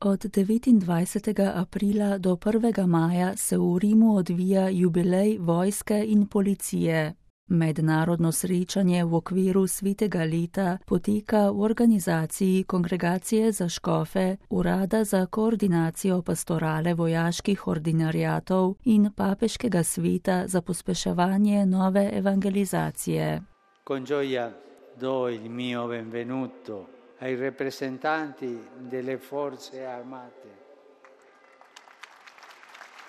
Od 29. aprila do 1. maja se v Rimu odvija jubilej vojske in policije. Mednarodno srečanje v okviru svetega leta poteka v organizaciji Kongregacije za škofe, Urada za koordinacijo pastorale vojaških ordinariatov in Papeškega sveta za pospeševanje nove evangelizacije. Con gioia do il mio benvenuto ai rappresentanti delle forze armate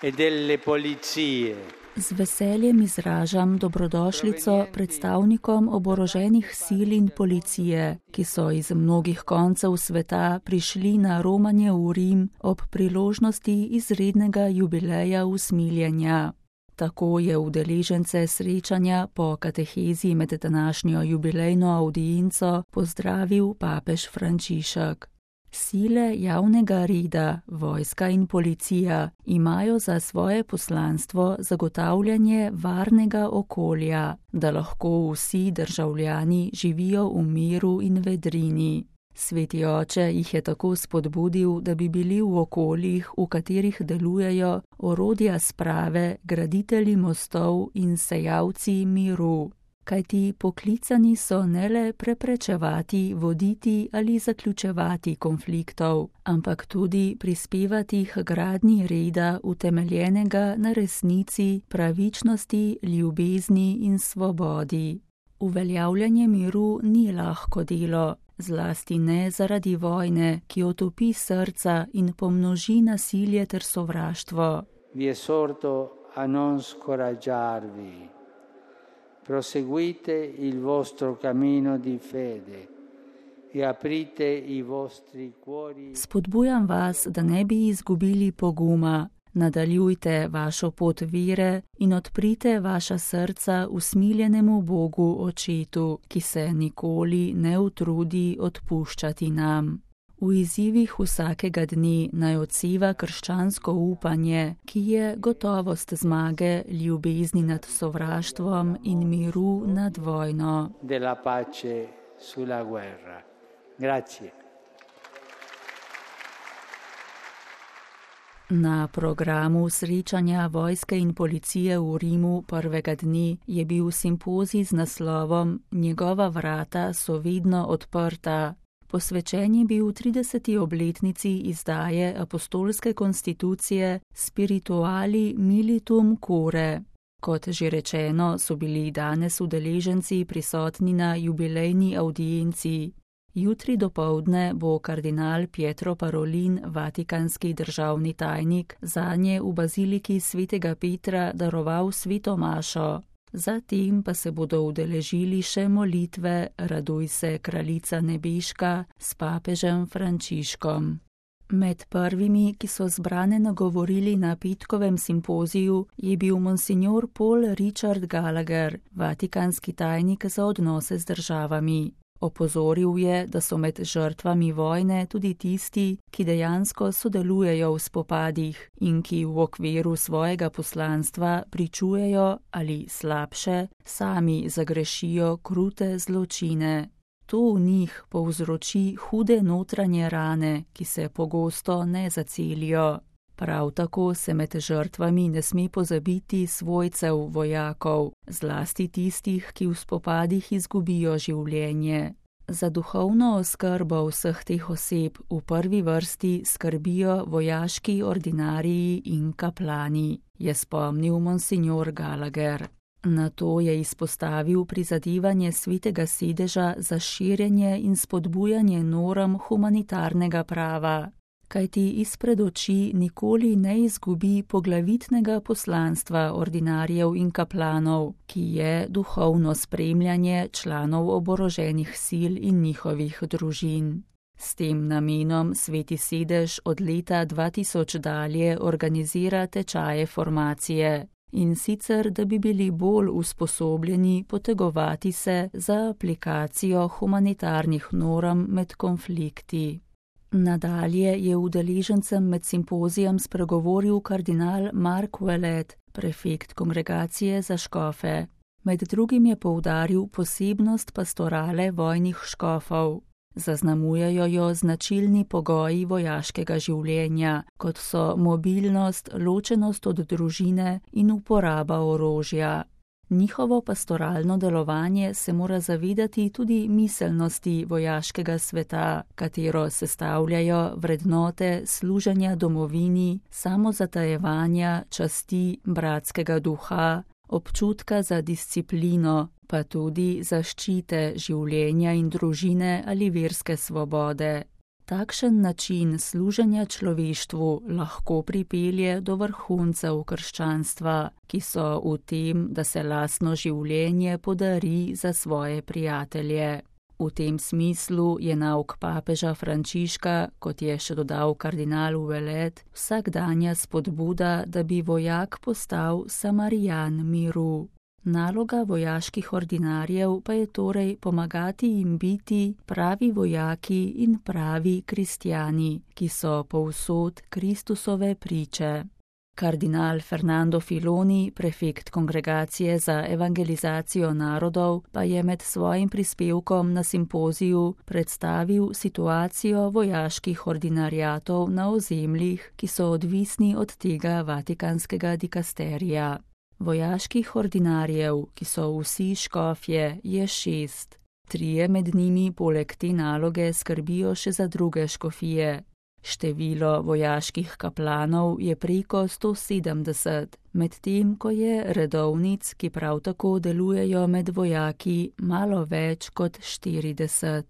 e delle polizie. Z veseljem izražam dobrodošlico predstavnikom oboroženih sil in policije, ki so iz mnogih koncev sveta prišli na romanje v Rim ob priložnosti izrednega jubileja usmiljenja. Tako je udeležence srečanja po katehezi med današnjo jubilejno avdienco pozdravil papež Frančišek. Sile javnega reda, vojska in policija imajo za svoje poslanstvo zagotavljanje varnega okolja, da lahko vsi državljani živijo v miru in vedrini. Sveti oče jih je tako spodbudil, da bi bili v okoljih, v katerih delujejo, orodja sprave, graditelji mostov in sejalci miru. Kajti poklicani so ne le preprečevati, voditi ali zaključevati konfliktov, ampak tudi prispevati k gradnji reda utemeljenega na resnici, pravičnosti, ljubezni in svobodi. Uveljavljanje miru ni lahko delo, zlasti ne zaradi vojne, ki otopi srca in pomnoži nasilje ter sovraštvo. Vi esorto a non scoraggiarvi. Proseguite il vostro cammino di fede e aprite i vostri cuori. Spodbujam vas, da ne bi izgubili poguma. Nadaljujte vašo pot vere in odprite vaša srca usmiljenemu Bogu Očetu, ki se nikoli ne utrudi odpuščati nam. V izzivih vsakega dne naj odseva krščansko upanje, ki je gotovost zmage, ljubezni nad sovraštvom in miru nad vojno. Della pace sulla guerra. Grazie. Na programu srečanja vojske in policije v Rimu prvega dne je bil simpozij z naslovom Njegova vrata so vedno odprta. Posvečen je bil 30. obletnici izdaje apostolske konstitucije Spirituali Militum Cure. Kot že rečeno, so bili danes udeleženci prisotni na jubilejni avdienci. Jutri dopoldne bo kardinal Pietro Parolin, vatikanski državni tajnik, zanje v baziliki svetega Petra daroval sveto mašo. Zatem pa se bodo udeležili še molitve Raduj se, kraljica nebeška s papežem Frančiškom. Med prvimi, ki so zbrane nagovorili na petkovem simpoziju, je bil monsignor Paul Richard Gallagher, vatikanski tajnik za odnose z državami. Opozoril je, da so med žrtvami vojne tudi tisti, ki dejansko sodelujejo v spopadih in ki v okviru svojega poslanstva pričujejo ali slabše, sami zagrešijo krute zločine. To v njih povzroči hude notranje rane, ki se pogosto ne zacelijo. Prav tako se med žrtvami ne sme pozabiti svojcev vojakov, zlasti tistih, ki v spopadih izgubijo življenje. Za duhovno oskrbo vseh teh oseb v prvi vrsti skrbijo vojaški ordinariji in kaplani, je spomnil monsignor Gallagher. Nato je izpostavil prizadevanje svetega sedeža za širjenje in spodbujanje norm humanitarnega prava. Kajti izpred oči nikoli ne izgubi poglavitnega poslanstva ordinarjev in kaplanov, ki je duhovno spremljanje članov oboroženih sil in njihovih družin. S tem namenom sveti sedež od leta 2000 dalje organizira tečaje formacije. In sicer, da bi bili bolj usposobljeni potegovati se za aplikacijo humanitarnih norm med konflikti. Nadalje je udeležencem med simpozijem spregovoril kardinal Mark Ouellet, prefekt Kongregacije za škofe. Med drugim je poudaril posebnost pastorale vojnih škofov. Zaznamujejo jo značilni pogoji vojaškega življenja, kot so mobilnost, ločenost od družine in uporaba orožja. Njihovo pastoralno delovanje se mora zavedati tudi miselnosti vojaškega sveta, katero sestavljajo vrednote služenja domovini, samozatajevanja, časti, bratskega duha, občutka za disciplino, pa tudi zaščite življenja in družine ali verske svobode. Takšen način služenja človeštvu lahko pripelje do vrhuncev krščanstva, ki so v tem, da se lastno življenje podari za svoje prijatelje. V tem smislu je nauk papeža Frančiška, kot je še dodal kardinal Ouellet, vsakdanja spodbuda, da bi vojak postal samarijan miru. Naloga vojaških ordinarjev pa je torej pomagati jim biti pravi vojaki in pravi kristjani, ki so povsod Kristusove priče. Kardinal Fernando Filoni, prefekt Kongregacije za evangelizacijo narodov, pa je med svojim prispevkom na simpoziju predstavil situacijo vojaških ordinariatov na ozemljih, ki so odvisni od tega vatikanskega dikasterija. Vojaških ordinarjev, ki so vsi škofje, je 6. 3 med njimi poleg te naloge skrbijo še za druge škofije. Število vojaških kaplanov je preko 170, medtem ko je redovnic, ki prav tako delujejo med vojaki, malo več kot 40.